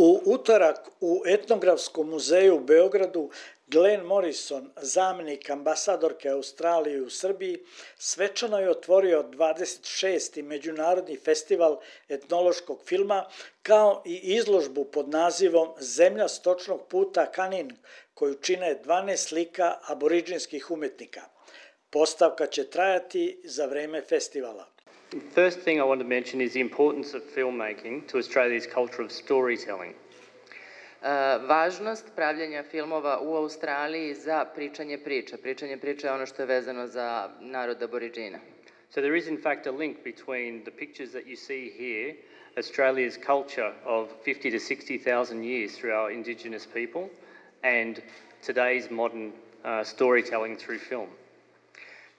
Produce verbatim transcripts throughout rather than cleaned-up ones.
U utorak u Etnografskom muzeju u Beogradu Glenn Morrison, zamjenik ambasadorke Australije u Srbiji, svečano je otvorio dvadeset šesti Međunarodni festival etnološkog filma, kao i izložbu pod nazivom Zemlja stočnog puta Kanin, koju čine dvanaest slika aboriđinskih umetnika. Postavka će trajati za vreme festivala. The first thing I want to mention is the importance of filmmaking to Australia's culture of storytelling. Uh, važnost pravljenja filmova u Australiji za pričanje priča. Pričanje priča je ono što je vezano za narod aboriđina. So there is in fact a link between the pictures that you see here, Australia's culture of fifty to sixty thousand years through our Indigenous people, and today's modern uh, storytelling through film.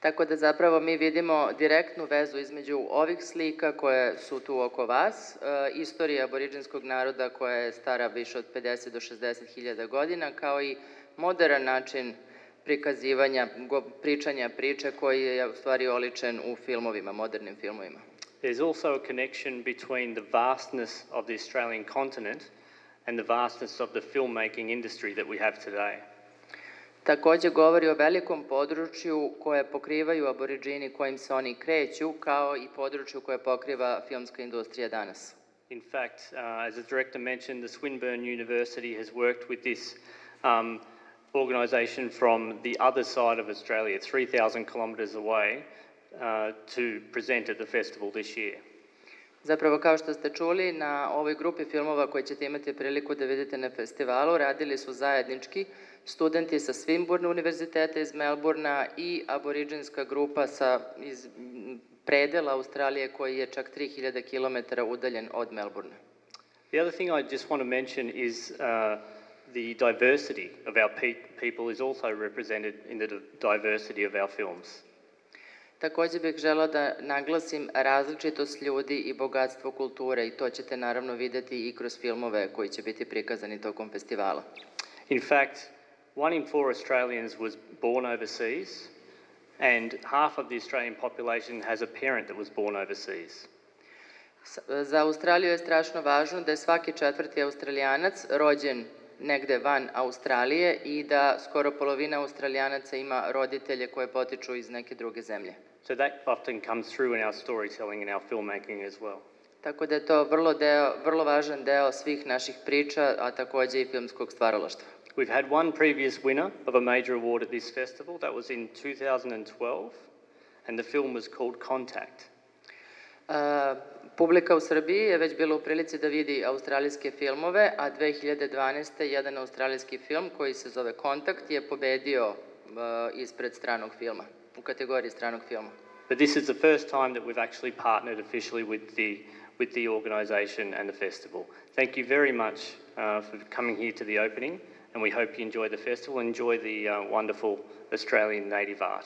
Tako da zapravo mi vidimo direktnu vezu između ovih slika koje su tu oko vas, e, istorija aboriđinskog naroda koja je stara više od pedeset do šezdeset hiljada godina, kao i modern način prikazivanja, go, pričanja priče koji je u stvari oličen u filmovima, modernim filmovima. There's also a connection between the vastness of the Australian continent and the vastness of the filmmaking industry that we have today. Takođe govori o velikom području koje pokrivaju aboriđini kojim se oni kreću, kao i području koje pokriva filmska industrija danas. In fact, uh, as the director mentioned, the Swinburne University has worked with this um, organisation from the other side of Australia, three thousand kilometres away, uh, to present at the festival this year. Zapravo, kao što ste čuli, na ovoj grupi filmova koje ćete imati priliku da vidite na festivalu, radili su zajednički studenti sa Swinburne univerziteta iz Melbournea i aboriđinska grupa sa, iz predela Australije koji je čak tri hiljade kilometara udaljen od Melbournea. The other thing I just want to mention is uh, the diversity of our pe people is also represented in the diversity of our films. Takođe bih želeo da naglasim različitost ljudi i bogatstvo kulture i to ćete naravno videti i kroz filmove koji će biti prikazani tokom festivala. In fact, one in four Australians was born overseas, and half of the Australian population has a parent that was born overseas. Za Australiju je strašno važno da je svaki četvrti Australijanac rođen negde van Australije i da skoro polovina Australijanaca ima roditelje koje potiču iz neke druge zemlje. So that often comes through in our storytelling and our filmmaking as well. Tako da je to vrlo, deo, vrlo važan deo svih naših priča, a takođe i filmskog stvaralaštva. We've had one previous winner of a major award at this festival. That was in two thousand twelve, and the film was called Contact. Uh, publika u Srbiji je već bila u prilici da vidi australijske filmove, a dve hiljade dvanaeste. jedan australijski film koji se zove Kontakt je pobedio uh, ispred stranog filma, u kategoriji stranog filma. But this is the first time that we've actually partnered officially with the with the organisation and the festival. Thank you very much uh, for coming here to the opening, and we hope you enjoy the festival and enjoy the uh, wonderful Australian native art.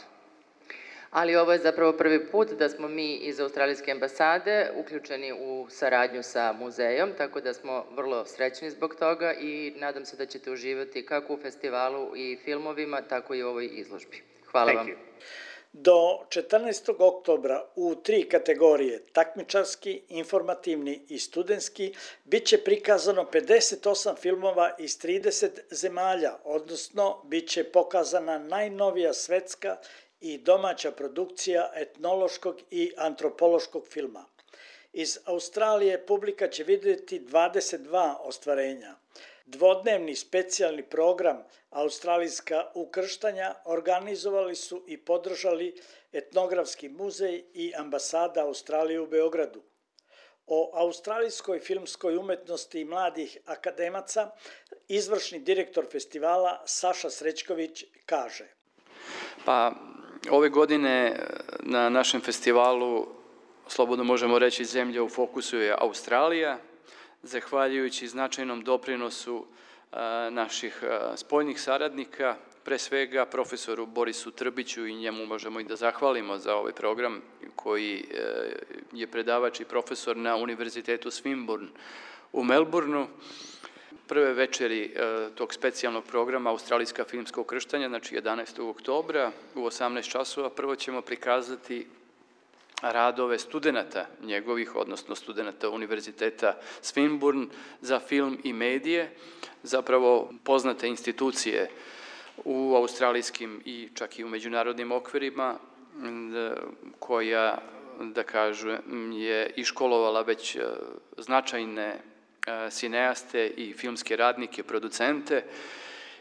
Ali ovo je zapravo prvi put da smo mi iz Australijske ambasade uključeni u saradnju sa muzejom, tako da smo vrlo srećni zbog toga i nadam se da ćete uživati kako u festivalu i filmovima, tako i u ovoj izložbi. Hvala vam. Do četrnaestog oktobra u tri kategorije, takmičarski, informativni i studentski, bit će prikazano pedeset osam filmova iz trideset zemalja, odnosno bit će pokazana najnovija svetska i domaća produkcija etnološkog i antropološkog filma. Iz Australije publika će vidjeti dvadeset dva ostvarenja. Dvodnevni specijalni program Australijska ukrštanja organizovali su i podržali Etnografski muzej i ambasada Australije u Beogradu. O australijskoj filmskoj umetnosti i mladih akademaca izvršni direktor festivala Saša Srećković kaže: Pa, ove godine na našem festivalu, slobodno možemo reći, zemlja u fokusu je Australija, zahvaljujući značajnom doprinosu naših spoljnih saradnika, pre svega profesoru Borisu Trbiću, i njemu možemo i da zahvalimo za ovaj program, koji je predavač i profesor na Univerzitetu Swinburne u Melbourneu. Prve večeri tog specijalnog programa Australijska filmska ukrštanja, znači jedanaestog oktobra u osamnaest časova, prvo ćemo prikazati radove studenta njegovih, odnosno studenta Univerziteta Swinburne za film i medije, zapravo poznate institucije u australijskim i čak i u međunarodnim okvirima, koja, da kažem, je iškolovala već značajne sineaste i filmske radnike, producente,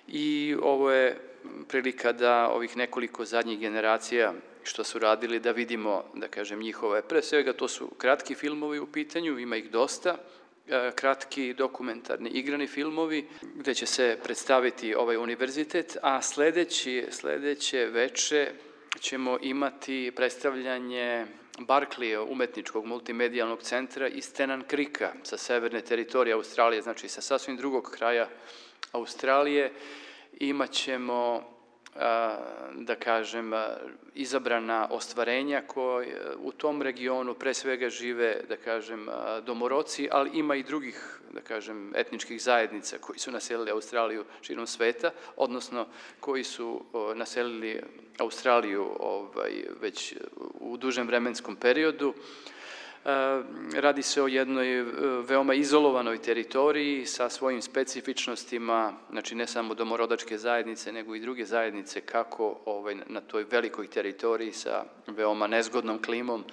i ovo je prilika da ovih nekoliko zadnjih generacija što su radili, da vidimo, da kažem, njihove, pre svega to su kratki filmovi u pitanju, ima ih dosta, kratki dokumentarni igrani filmovi gde će se predstaviti ovaj univerzitet, a sledeći, sledeće veče ćemo imati predstavljanje Barkleya, umetničkog multimedijalnog centra iz Tennant Creeka sa severne teritorije Australije, znači sa sasvim drugog kraja Australije. Imaćemo, da kažem, izabrana ostvarenja koje u tom regionu pre svega žive, da kažem, domoroci, ali ima i drugih, da kažem, etničkih zajednica koji su naselili Australiju širom sveta, odnosno koji su naselili Australiju već u dužem vremenskom periodu. Radi se o jednoj veoma izolovanoj teritoriji sa svojim specifičnostima, znači ne samo domorodačke zajednice, nego i druge zajednice, kako na toj velikoj teritoriji sa veoma nezgodnom klimom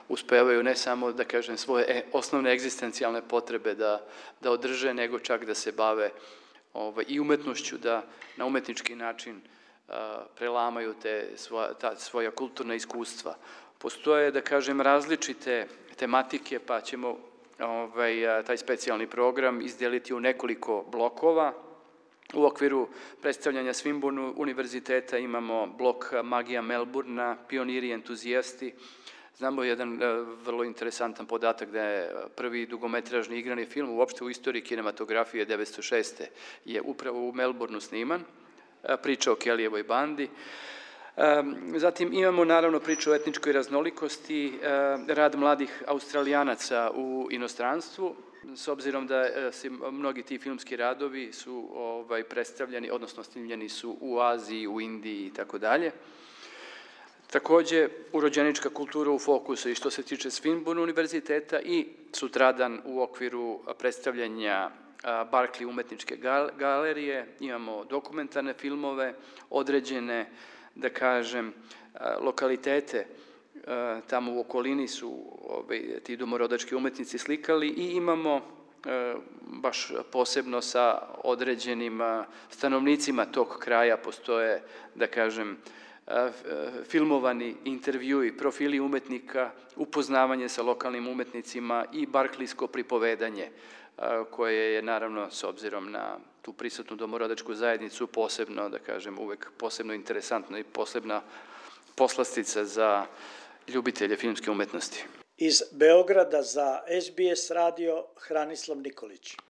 uspevaju ne samo, da kažem, svoje osnovne egzistencijalne potrebe da održe, nego čak da se bave i umetnošću, da na umetnički način prelamaju ta svoja kulturna iskustva. Postoje, da kažem, različite tematike, pa ćemo taj specijalni program izdeliti u nekoliko blokova. U okviru predstavljanja Swinburne univerziteta imamo blok Magija Melbourna, pioniri i entuzijasti. Znamo jedan vrlo interesantan podatak da je prvi dugometražni igrani film uopšte u istoriji kinematografije devetsto šeste je upravo u Melbourneu sniman, priča o Kellyjevoj bandi. Zatim imamo naravno priču o etničkoj raznolikosti, rad mladih Australijanaca u inostranstvu, s obzirom da se mnogi ti filmski radovi su predstavljeni, odnosno snimljeni su u Aziji, u Indiji i tako dalje. Takođe, urođenička kultura u fokusu i što se tiče Swinburne univerziteta i sutradan u okviru predstavljanja Barkley umetničke galerije imamo dokumentarne filmove, određene, da kažem, lokalitete tamo u okolini su ti domorodački umetnici slikali i imamo baš posebno sa određenim stanovnicima tog kraja postoje, da kažem, filmovani intervjui, profili umetnika, upoznavanje sa lokalnim umetnicima i barkleysko pripovedanje, koje je, naravno, s obzirom na tu prisutnu domorodačku zajednicu, posebno, da kažem, uvek posebno interesantno i posebna poslastica za ljubitelje filmske umetnosti. Iz Beograda za S B S radio Hranislav Nikolić.